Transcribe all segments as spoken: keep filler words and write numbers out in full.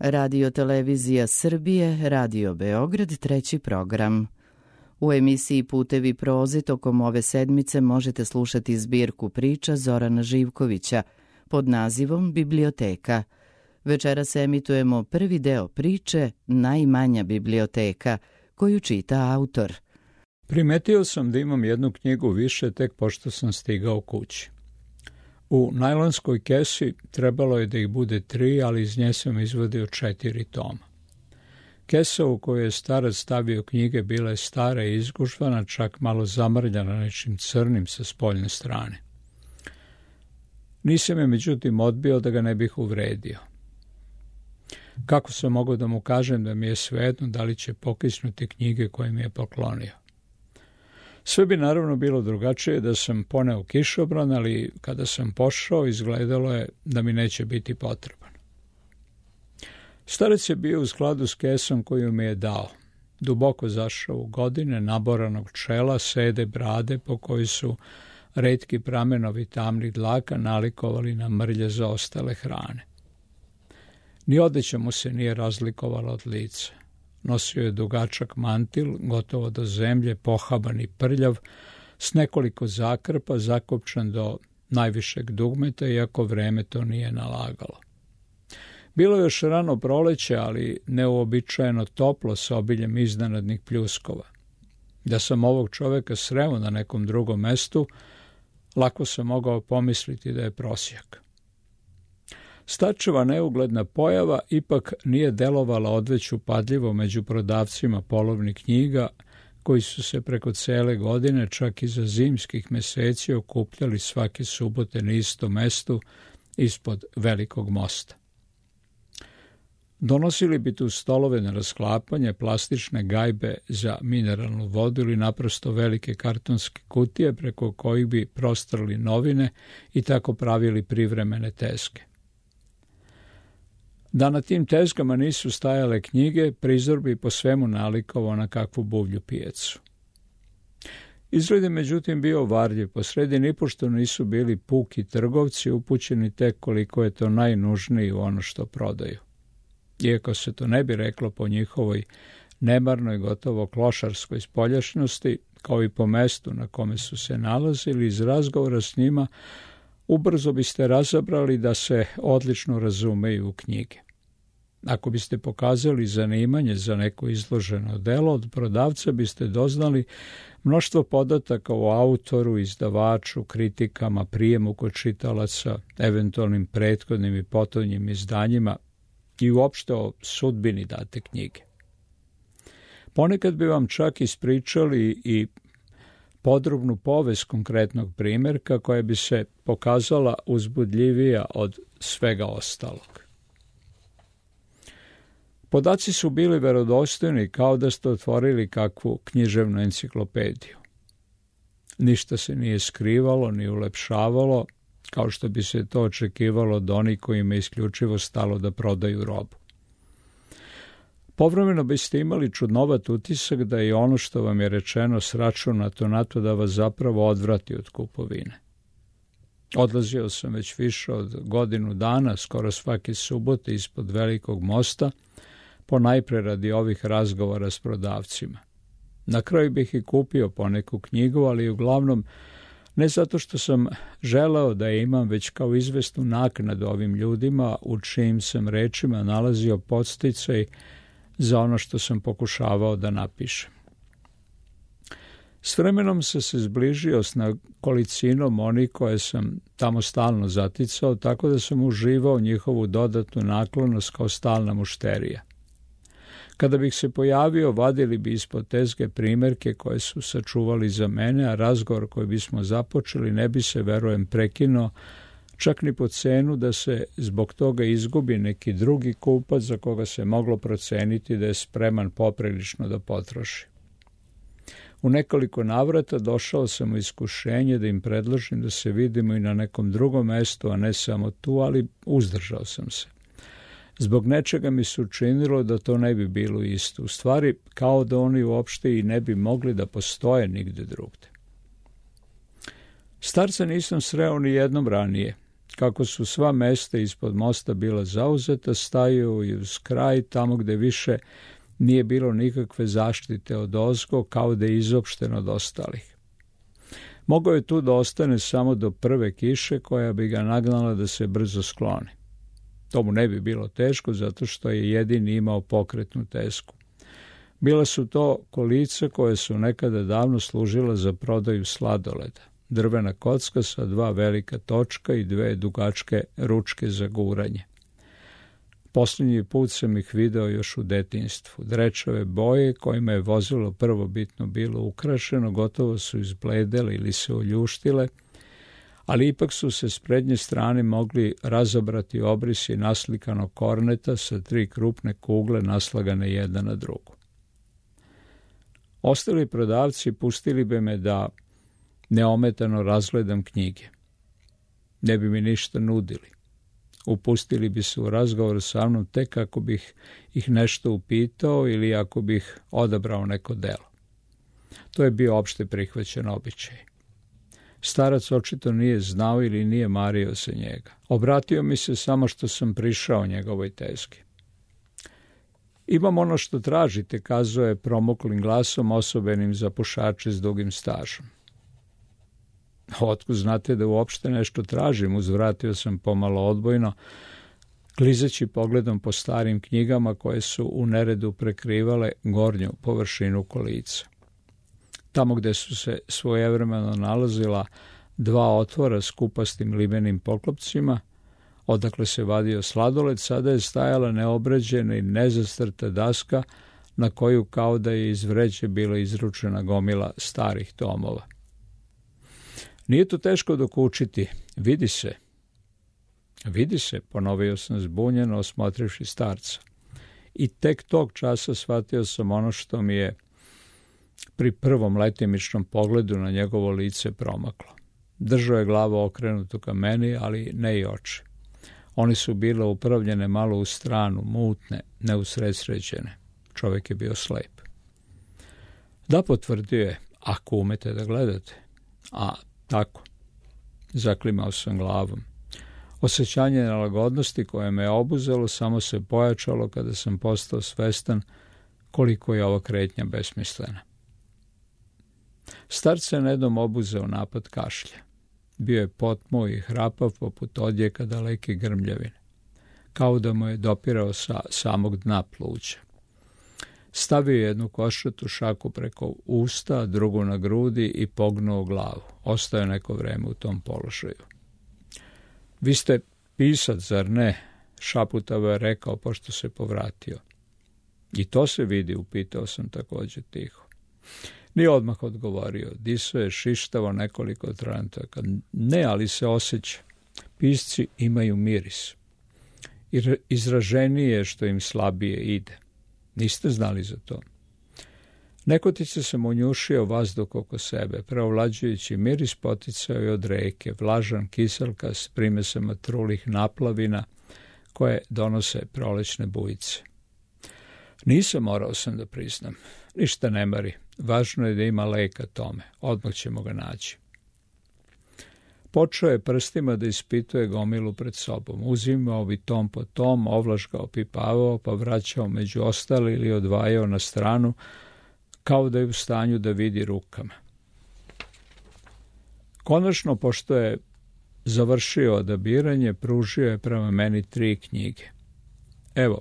Radio Televizija Srbije, Radio Beograd, treći program. U emisiji Putevi proze tokom ove sedmice možete slušati zbirku priča Zorana Živkovića pod nazivom Biblioteka. Večeras emitujemo prvi deo priče Najmanja biblioteka, koju čita autor. Primetio sam da imam jednu knjigu više tek pošto sam stigao kući. U najlonskoj kesi trebalo je da ih bude tri, ali iz nje sam izvadio četiri toma. Kesa u kojoj je starac stavio knjige bila je stara i izgužvana, čak malo zamrljana nečim crnim sa spoljne strane. Nisam je međutim odbio da ga ne bih uvredio. Kako sam mogao da mu kažem da mi je svejedno da li će pokisnuti knjige koje mi je poklonio? Sve bi naravno bilo drugačije da sam poneo kišobran, ali kada sam pošao izgledalo je da mi neće biti potreban. Starac je bio u skladu s kesom koju mi je dao. Duboko zašao u godine, naboranog čela, sede brade po kojoj su retki pramenovi tamnih dlaka nalikovali na mrlje zaostale hrane. Ni odeća mu se nije razlikovala od lica. Nosio je dugačak mantil, gotovo do zemlje, pohaban i prljav, s nekoliko zakrpa, zakopčan do najvišeg dugmeta, iako vreme to nije nalagalo. Bilo je još rano proleće, ali neuobičajeno toplo sa obiljem iznenadnih pljuskova. Da sam ovog čoveka sreo na nekom drugom mestu, lako sam mogao pomisliti da je prosjak. Starčeva neugledna pojava ipak nije delovala odveć upadljivo među prodavcima polovnih knjiga, koji su se preko cele godine, čak i za zimskih meseci, okupljali svake subote na istom mestu ispod velikog mosta. Donosili bi tu stolove na rasklapanje, plastične gajbe za mineralnu vodu ili naprosto velike kartonske kutije preko kojih bi prostrali novine i tako pravili privremene tezge. Da na tim tezgama nisu stajale knjige, prizor bi po svemu nalikovao na kakvu buvlju pijecu. Izgled je međutim bio varljiv, posredi nipošto nisu bili puki trgovci upućeni tek koliko je to najnužnije u ono što prodaju. Iako se to ne bi reklo po njihovoj nemarnoj, gotovo klošarskoj spoljašnosti, kao i po mestu na kome su se nalazili, iz razgovora s njima ubrzo biste razabrali da se odlično razumeju u knjige. Ako biste pokazali zanimanje za neko izloženo delo, od prodavca biste doznali mnoštvo podataka o autoru, izdavaču, kritikama, prijemu kod čitalaca, eventualnim prethodnim i potonjim izdanjima i uopšte o sudbini date knjige. Ponekad bi vam čak ispričali i podrobnu povest konkretnog primjerka koja bi se pokazala uzbudljivija od svega ostalog. Podaci su bili verodostojni kao da ste otvorili kakvu književnu enciklopediju. Ništa se nije skrivalo ni ulepšavalo, kao što bi se to očekivalo od onih kojima je isključivo stalo da prodaju robu. Povremeno biste imali čudnovat utisak da je ono što vam je rečeno sračunato na to da vas zapravo odvrati od kupovine. Odlazio sam već više od godinu dana, skoro svake subote ispod velikog mosta, ponajpre radi ovih razgovora s prodavcima. Na kraju bih i kupio poneku knjigu, ali uglavnom ne zato što sam želeo da je imam, već kao izvesnu naknadu ovim ljudima u čijim sam rečima nalazio podsticaj za ono što sam pokušavao da napišem. S vremenom sam se zbližio s nekolicinom onih koje sam tamo stalno zaticao, tako da sam uživao njihovu dodatnu naklonost kao stalna mušterija. Kada bih se pojavio, vadili bi ispod tezge primjerke koje su sačuvali za mene, a razgovor koji bismo započeli ne bi se, verujem, prekinuo, čak ni po cenu da se zbog toga izgubi neki drugi kupac za koga se moglo proceniti da je spreman poprilično da potroši. U nekoliko navrata došao sam u iskušenje da im predložim da se vidimo i na nekom drugom mestu, a ne samo tu, ali uzdržao sam se. Zbog nečega mi se učinilo da to ne bi bilo isto. U stvari, kao da oni uopšte i ne bi mogli da postoje nigde drugde. Starca nisam sreo ni jednom ranije. Kako su sva mesta ispod mosta bila zauzeta, stajao i uz kraj, tamo gde više nije bilo nikakve zaštite od ozgo, kao da je izopšten od ostalih. Mogao je tu da ostane samo do prve kiše koja bi ga nagnala da se brzo skloni. To mu ne bi bilo teško, zato što je jedini imao pokretnu tesku. Bila su to kolica koje su nekada davno služila za prodaju sladoleda. Drvena kocka sa dva velika točka i dve dugačke ručke za guranje. Posljednji put sam ih video još u detinjstvu. Drečave boje kojima je vozilo prvobitno bilo ukrašeno gotovo su izbledele ili se oljuštile, ali ipak su se s prednje strane mogli razobrati obrisi naslikanog korneta sa tri krupne kugle naslagane jedna na drugu. Ostali prodavci pustili bi me da neometano razgledam knjige. Ne bi mi ništa nudili. Upustili bi se u razgovor sa mnom tek ako bih ih nešto upitao ili ako bih odabrao neko delo. To je bio opšte prihvaćen običaj. Starac očito nije znao ili nije mario se njega. Obratio mi se samo što sam prišao njegovoj tezgi. Imam ono što tražite, kazao je promuklim glasom osobenim za pušače s dugim stažom. Otkud znate da uopšte nešto tražim, uzvratio sam pomalo odbojno, klizeći pogledom po starim knjigama koje su u neredu prekrivale gornju površinu kolica. Tamo gde su se svojevremeno nalazila dva otvora s kupastim limenim poklopcima, odakle se vadio sladoled, sada je stajala neobrađena i nezastrta daska na koju kao da je iz vreće bila izručena gomila starih tomova. Nije to teško dokučiti, vidi se. Vidi se, ponovio sam zbunjeno, osmotrivši starca. I tek tog časa shvatio sam ono što mi je pri prvom letimičnom pogledu na njegovo lice promaklo. Držao je glavu okrenutu ka meni, ali ne i oči. One su bile upravljene malo u stranu, mutne, neusredsređene. Čovjek je bio slep. Da, potvrdio je, ako umete da gledate. A, tako. Zaklimao sam glavom. Osjećanje nelagodnosti koje me je obuzelo samo se pojačalo kada sam postao svestan koliko je ova kretnja besmislena. Starac se nedom obuzeo napad kašlja. Bio je potmuo i hrapav poput odjeka daleke grmljavine, kao da mu je dopirao sa samog dna pluća. Stavio je jednu košatu šaku preko usta, drugu na grudi i pognuo glavu. Ostao je neko vreme u tom položaju. Vi ste pisac, zar ne? Šaputavo je rekao pošto se povratio. I to se vidi, upitao sam također tiho. Nije odmah odgovorio. Disao je šištavo nekoliko trenutaka. Ne, ali se osjeća. Pisci imaju miris. Izraženije je što im slabije ide. Niste znali za to. Nekotice sam unjušio vazduh oko sebe. Preovlađujući miris poticao je od reke, vlažan kiselka s primesama trulih naplavina koje donose prolećne bujice. Nisam, morao sam da priznam. Ništa ne mari. Važno je da ima leka tome. Odmah ćemo ga naći. Počeo je prstima da ispituje gomilu pred sobom. Uzimao bi tom po tom, ovlaš ga opipavao, pa vraćao među ostali ili odvajao na stranu, kao da je u stanju da vidi rukama. Konačno, pošto je završio odabiranje, pružio je prema meni tri knjige. Evo,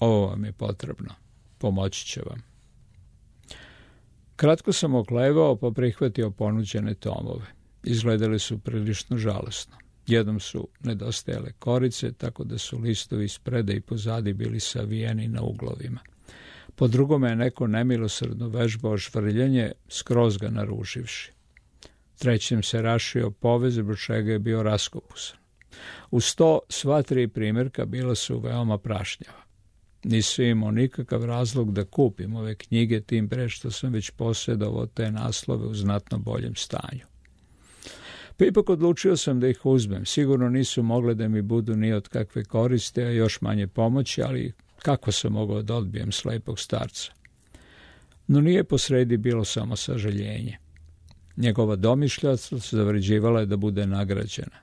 ovo vam je potrebno. Pomoći će vam. Kratko sam oklevao, pa prihvatio ponuđene tomove. Izgledali su prilično žalosno. Jednom su nedostajale korice, tako da su listovi spreda i pozadi bili savijeni na uglovima. Po drugome je neko nemilosrdno vežbao žvrljanje, skroz ga naruživši. Trećem se rašio povez, zbog čega je bio raskopusan. Uz to sva tri primjerka bila su veoma prašnjava. Nisam imao nikakav razlog da kupim ove knjige, tim pre što sam već posjedovao te naslove u znatno boljem stanju. Pa ipak odlučio sam da ih uzmem. Sigurno nisu mogle da mi budu ni od kakve koriste, a još manje pomoći, ali kako sam mogao da odbijem slepog starca? No nije posredi bilo samo sažaljenje. Njegova domišljatost zavređivala je da bude nagrađena.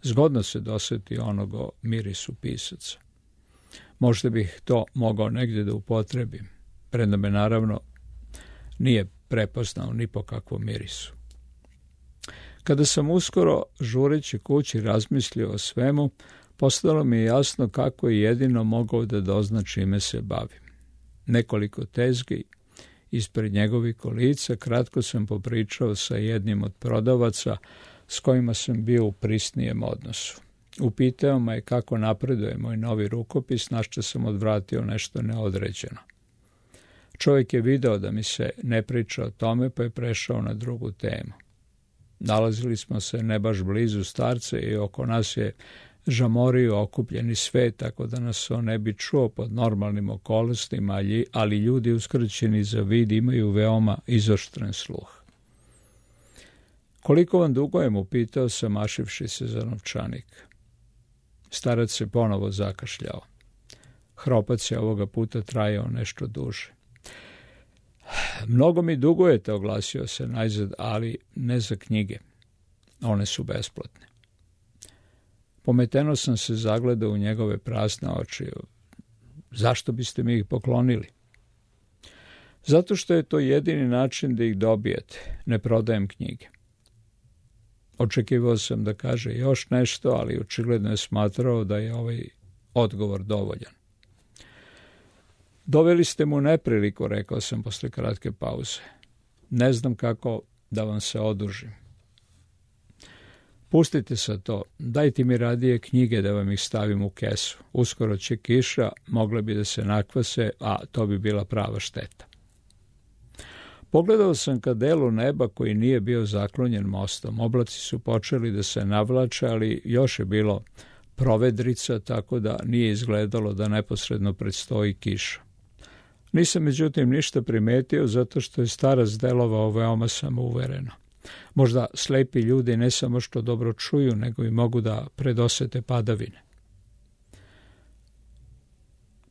Zgodno se dosjeti onoga mirisu pisaca. Možda bih to mogao negdje da upotrebim, premda me naravno nije prepoznao ni po kakvom mirisu. Kada sam uskoro, žureći kući, razmislio o svemu, postalo mi je jasno kako je jedino mogao da dozna čime se bavim. Nekoliko tezgi ispred njegovih kolica kratko sam popričao sa jednim od prodavaca s kojima sam bio u prisnijem odnosu. Upitao me kako napreduje moj novi rukopis, na što sam odvratio nešto neodređeno. Čovjek je video da mi se ne priča o tome, pa je prešao na drugu temu. Nalazili smo se ne baš blizu starce i oko nas je žamorio okupljeni svet, tako da nas on ne bi čuo pod normalnim okolnostima, ali ljudi uskraćeni za vid imaju veoma izoštren sluh. Koliko vam dugujem, upitao sam, mašivši se za novčanik. Starac se ponovo zakašljao. Hropac je ovoga puta trajao nešto duže. Mnogo mi dugujete, oglasio se najzad, ali ne za knjige. One su besplatne. Pometeno sam se zagledao u njegove prazne oči. Zašto biste mi ih poklonili? Zato što je to jedini način da ih dobijete. Ne prodajem knjige. Očekivao sam da kaže još nešto, ali očigledno je smatrao da je ovaj odgovor dovoljan. Doveli ste mu nepriliku, rekao sam posle kratke pauze. Ne znam kako da vam se odužim. Pustite se to, dajte mi radije knjige da vam ih stavim u kesu. Uskoro će kiša, mogle bi da se nakvase, a to bi bila prava šteta. Pogledao sam ka delu neba koji nije bio zaklonjen mostom. Oblaci su počeli da se navlače, ali još je bilo provedrica, tako da nije izgledalo da neposredno predstoji kiša. Nisam međutim ništa primetio, zato što je starac delovao veoma samouvereno. Možda slepi ljudi ne samo što dobro čuju, nego i mogu da predosete padavine.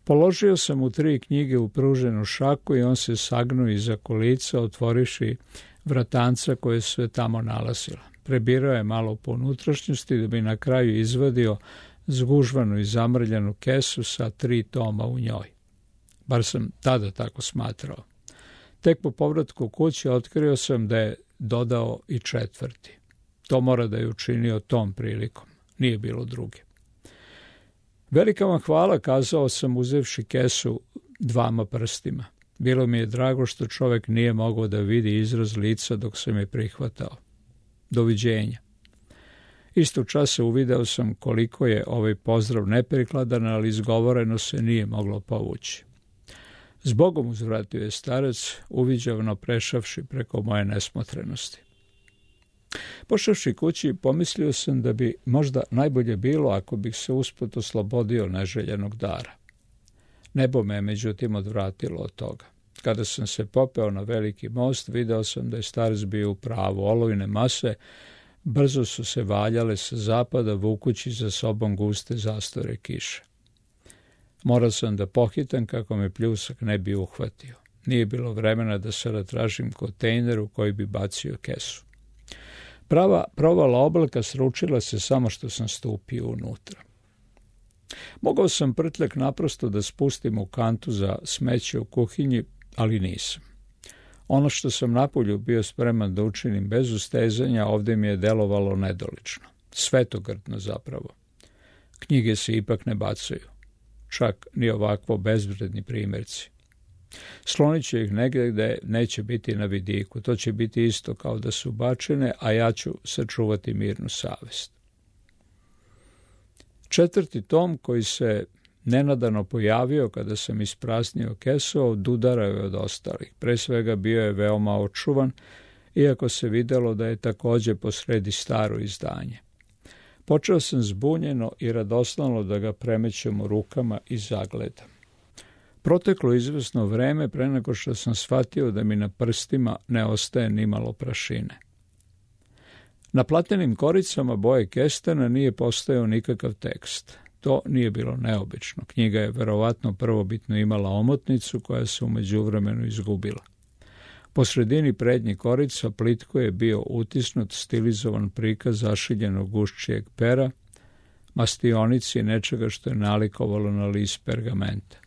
Položio sam mu tri knjige u pruženu šaku i on se sagnuo iza kolica, otvoriši vratanca koje se tamo nalazila. Prebirao je malo po unutrašnjosti da bi na kraju izvadio zgužvanu i zamrljanu kesu sa tri toma u njoj. Bar sam tada tako smatrao. Tek po povratku kući otkrio sam da je dodao i četvrti. To mora da je učinio tom prilikom. Nije bilo druge. Velika vam hvala, kazao sam uzevši kesu dvama prstima. Bilo mi je drago što čovjek nije mogao da vidi izraz lica dok sam je prihvatao. Doviđenja. Isto časa uvideo sam koliko je ovaj pozdrav neprikladan, ali izgovoreno se nije moglo povući. Zbogom, uzvratio je starac, uviđavno prešavši preko moje nesmotrenosti. Pošavši kući, pomislio sam da bi možda najbolje bilo ako bih se usput oslobodio neželjenog dara. Nebo me je međutim odvratilo od toga. Kada sam se popeo na veliki most, video sam da je starac bio u pravu. Olujne mase brzo su se valjale sa zapada, vukući za sobom guste zastore kiše. Morao sam da pohitam kako me pljusak ne bi uhvatio. Nije bilo vremena da se ratražim kontejner u koji bi bacio kesu. Prava provala oblaka sručila se samo što sam stupio unutra. Mogao sam prtljak naprosto da spustim u kantu za smeće u kuhinji, ali nisam. Ono što sam napolju bio spreman da učinim bez ustezanja, ovdje mi je delovalo nedolično. Svetogrdno zapravo. Knjige se ipak ne bacaju. Čak ni ovakvo bezvredni primjerci. Slonit će ih negdje gde neće biti na vidiku. To će biti isto kao da su bačene, a ja ću sačuvati mirnu savest. Četvrti tom, koji se nenadano pojavio kada sam ispraznio kesu, odudarao je od ostalih. Pre svega bio je veoma očuvan, iako se videlo da je također posredi staro izdanje. Počeo sam zbunjeno i radosnalo da ga premećem u rukama i zagledam. Proteklo izvesno vreme pre nego što sam shvatio da mi na prstima ne ostaje nimalo prašine. Na platenim koricama boje kestena nije postojao nikakav tekst. To nije bilo neobično. Knjiga je verovatno prvobitno imala omotnicu koja se u međuvremenu izgubila. Po sredini prednjih korica plitko je bio utisnut stilizovan prikaz zašiljenog gušćijeg pera, mastionici nečega što je nalikovalo na list pergamenta.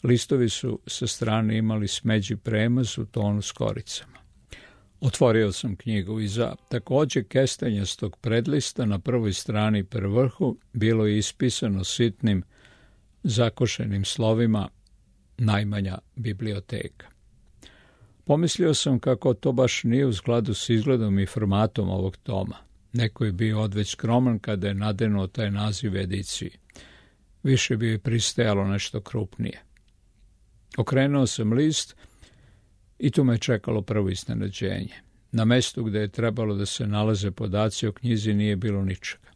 Listovi su sa strane imali smeđi premaz u tonu s koricama. Otvorio sam knjigu i za također kestenjastog predlista na prvoj strani per vrhu bilo je ispisano sitnim zakošenim slovima najmanja biblioteka. Pomislio sam kako to baš nije u skladu s izgledom i formatom ovog toma. Neko je bio odveć skroman kada je nadenuo taj naziv ediciji. Više bi je pristajalo nešto krupnije. Okrenuo sam list i tu me čekalo prvo iznenađenje. Na mestu gde je trebalo da se nalaze podaci o knjizi nije bilo ničega.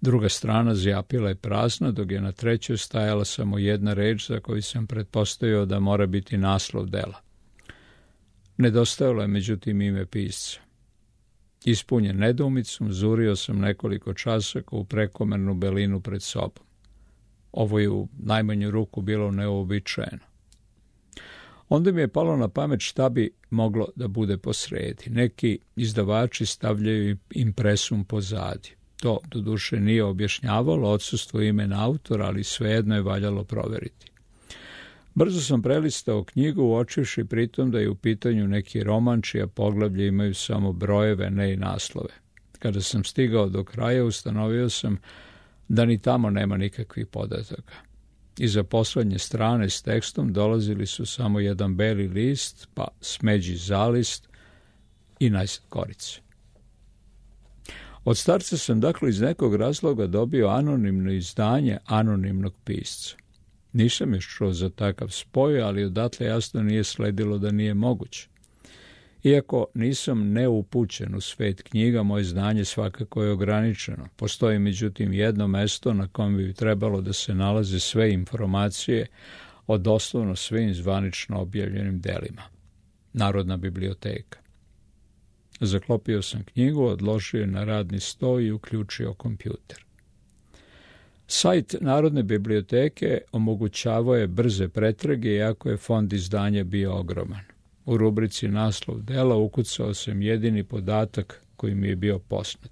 Druga strana zjapila je prazna, dok je na trećoj stajala samo jedna reč za koju sam pretpostavio da mora biti naslov dela. Nedostajalo je međutim ime pisca. Ispunjen nedoumicom, zurio sam nekoliko časaka u prekomernu belinu pred sobom. Ovo je u najmanju ruku bilo neuobičajeno. Onda mi je palo na pamet šta bi moglo da bude posredi. Neki izdavači stavljaju impresum pozadi. To, doduše, nije objašnjavalo odsustvo imena autora, ali svejedno je valjalo proveriti. Brzo sam prelistao knjigu, uočivši pritom da je u pitanju neki roman čija poglavlje imaju samo brojeve, ne i naslove. Kada sam stigao do kraja, ustanovio sam da ni tamo nema nikakvih podataka. Iza poslednje strane s tekstom dolazili su samo jedan beli list, pa smeđi zalist i najsad korice. Od starca sam dakle iz nekog razloga dobio anonimno izdanje anonimnog pisca. Nisam još čuo za takav spoj, ali odatle jasno nije sledilo da nije moguće. Iako nisam neupućen u svet knjiga, moje znanje svakako je ograničeno. Postoji međutim jedno mesto na kojem bi trebalo da se nalaze sve informacije o doslovno svim zvanično objavljenim delima. Narodna biblioteka. Zaklopio sam knjigu, odložio je na radni sto i uključio kompjuter. Sajt Narodne biblioteke omogućavao je brze pretrage, iako je fond izdanja bio ogroman. U rubrici naslov dela ukucao sam jedini podatak koji mi je bio poznat.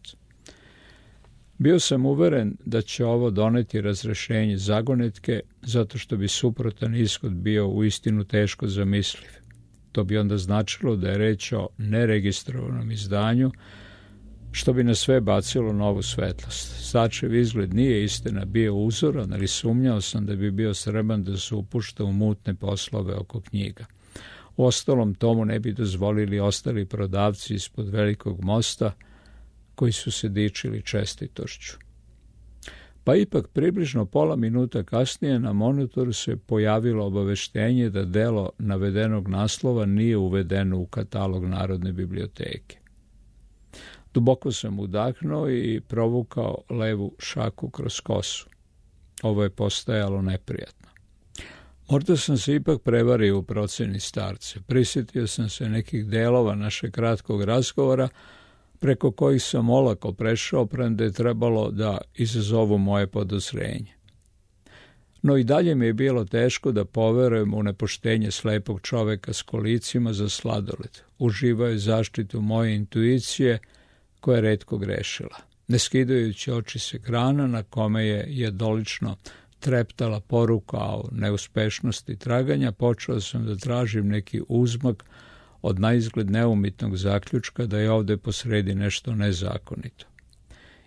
Bio sam uveren da će ovo doneti razrešenje zagonetke, zato što bi suprotan ishod bio uistinu teško zamisliv. To bi onda značilo da je reč o neregistrovanom izdanju, što bi na sve bacilo novu svetlost. Sačev izgled nije istina bio uzoran, ali sumnjao sam da bi bio sreban da se upušta u mutne poslove oko knjiga. U ostalom tomu ne bi dozvolili ostali prodavci ispod Velikog mosta, koji su se dičili čestitošću. Pa ipak približno pola minuta kasnije na monitoru se pojavilo obaveštenje da delo navedenog naslova nije uvedeno u katalog Narodne biblioteke. Duboko sam udahnuo i provukao levu šaku kroz kosu. Ovo je postajalo neprijatno. Možda sam se ipak prevario u proceni starca. Prisjetio sam se nekih delova našeg kratkog razgovora, preko kojih sam olako prešao, premda je trebalo da izazovu moje podozrenje. No i dalje mi je bilo teško da poverujem u nepoštenje slepog čoveka s kolicima za sladoled. Uživao je zaštitu moje intuicije, koja je retko grešila. Ne skidajući oči s ekrana na kome je jedolično treptala poruka o neuspešnosti traganja, počeo sam da tražim neki uzmak od naizgled neumitnog zaključka da je ovde posredi nešto nezakonito.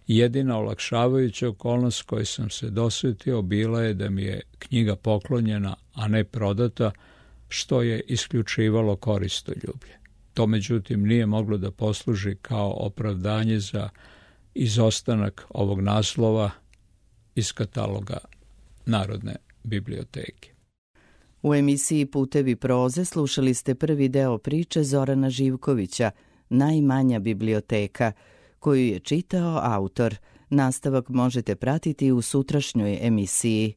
Jedina olakšavajuća okolnost koje sam se dosvetio bila je da mi je knjiga poklonjena, a ne prodata, što je isključivalo koristoljublje. To međutim nije moglo da posluži kao opravdanje za izostanak ovog naslova iz kataloga Narodne biblioteke. U emisiji Putevi proze slušali ste prvi deo priče Zorana Živkovića, Najmanja biblioteka, koju je čitao autor. Nastavak možete pratiti u sutrašnjoj emisiji.